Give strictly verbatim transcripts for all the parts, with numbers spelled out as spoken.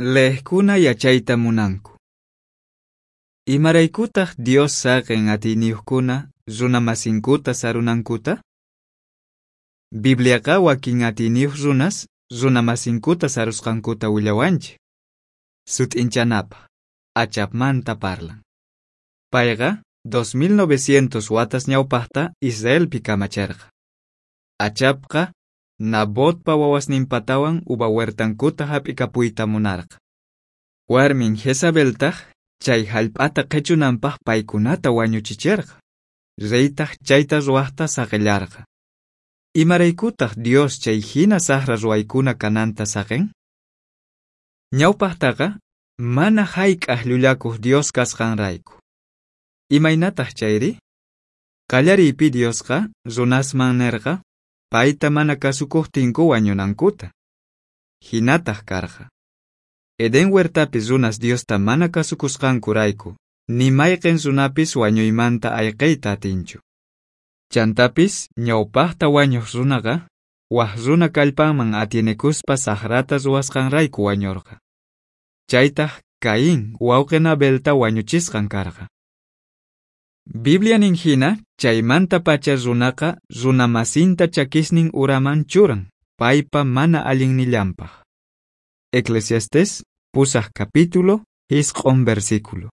Leejkuna yachayta munanku. Imaraykutaq Dios saqen atiyniyuqkuna runa masinkuta sarunankuta? Bibliaqa wakin atiyniyuq runas runa masinkuta sarusqankuta willawanchik. Sut'inchanapaq, Achabmanta parlan. Payqa dos mil novecientos watas ñawpaqta Israelpi kamacherqa. Achabqa Nabotpa wawasninpatawan uva huertankuta hap'ikapuyta munarqa. Warmin Jezabeltaq chay hallp'ata qhichunanpaq paykunata wañuchicherqa. Reytaq chayta ruwaqta saqillarqa. Imaraykutaq Dios chay hina saqra ruwaykuna kananta saqin? Ñawpaqtaqa mana hayk'aq llullakuq Dios kasqanrayku. Imaynataq chayri? Qallariypi Diosqa runasman nerqa payta mana kasukuqtinku wañunankuta. Hinataq karqa. Edén huertapi runas Diosta mana kasukusqankurayku, ni mayqin runapis wañuymanta ayqiyta atinchu. Chantapis ñawpaqta wañuq runaqa waj runa kallpanman atienekuspa saqrata ruwasqanrayku wañurqa. Chaytaq Caín wawqin Abelta wañuchisqan karqa. Biblia nin hina chaymanta pacha runaqa runamasinta chakisnin uraman churan paypa mana allinnillanpaq. Eclesiastés pusaq capítulo isq'un versículo.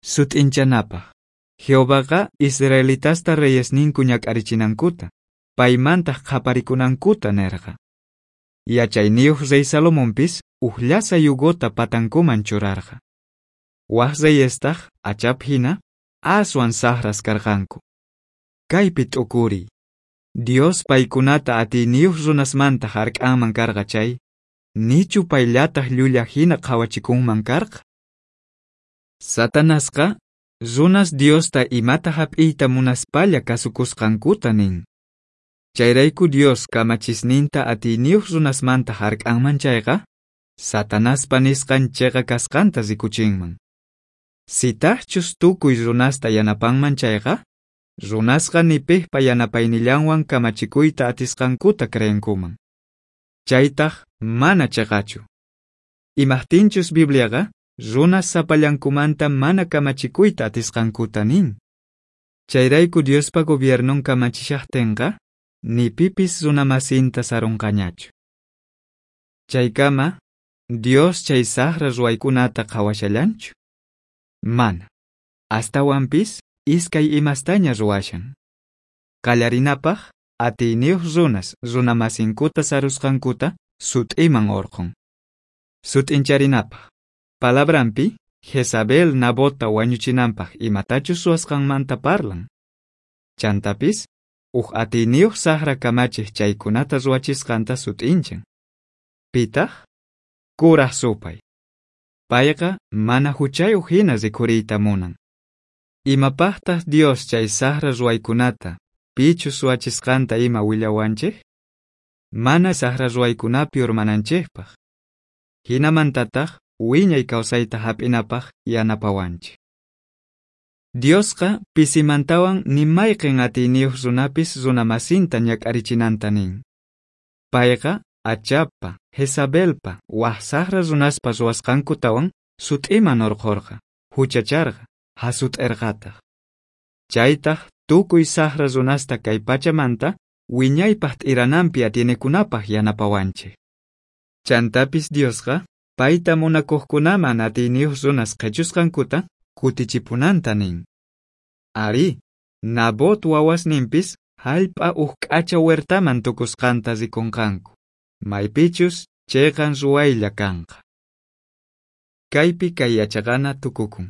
Sut'inchanapaq, Jehovaqa israelitasta reyesninku ñak'arichinankuta, paymantaq qhaparikunankuta nerqa. Yachayniyuq rey Salomonpis ujllasa yugota patankuman churarqa. Waj reyestaq Achab hina aswan saqras karqanku. Kaypi t'ukuriy. Dios paykunata atiyniyuq runasmanta hark'anman karqa chay, nichu payllataq llulla hina qhawachikunman karqa? Satanasqa runas Diosta imata hap'iyta munaspalla kasukusqankuta nin. Chayrayku Dios kamachisninta atiyniyuq runasmanta hark'anman chayqa, Satanaspa nisqan chiqa kasqanta rikuchinman. Sitaqchus tukuy runasta yanapanman chayqa, runasqa ni piqpa yanapaynillanwan kamachikuyta atisqankuta creenkuman. Chaytaq mana chiqachu. Imaqtinchus Bibliaqa runas sapallankumanta mana kamachikuyta atisqankuta nin. Chayrayku Diospa gobiernon kamachishaqtinqa, ni pipis runamasinta sarunqañachu. Chaykama, Dios chay saqra ruwaykunata qhawashallanchu? Mana. Astawanpis iskay imastaña ruwashan. Qallarinapaq, atiyniyuq runas runamasinkuta sarusqankuta sut'iman urqun. Sut'incharinapaq, palabranpi Jezabel Nabota wañuchinanpaq imatachus ruwasqanmanta parlan. Chantapis, uj atiyniyuq saqra kamachiq chaykunata ruwachisqanta sut'inchan. Pitaq? Kuraj supay. Payqa mana huchayuq hina rikhuriyta munan. Imapaqtaq Dios chay saqra ruwaykunata pichus ruwachisqanta ima willawanchik? Mana saqra ruwaykunapi urmananchikpaq. Hinamantataq wiñay kawsayta hap'inapaq yanapawanchik. Diosqa pisimantawan ni mayqin atiyniyuq runapis runamasinta ñak'arichinanta nin. Payqa Achabpa, Jezabelpa, waj saqra runaspa ruwasqankutawan sut'iman urqhurqa, huchacharqa, hasut'irqataq. Chaytaq tukuy saqra runasta kay pachamanta wiñaypaq t'irananpi atienekunapaq yanapawanchik. Chantapis Diosqa payta munakuqkunaman atiyniyuq runas qhichusqankuta kutichipunanta nin. Ari, Nabot wawasninpis hallp'a uj k'acha huertaman tukusqanta rikunqanku. Maypichus chiqan ruwaylla kanqa. Kaypi kay yachaqana tukukun.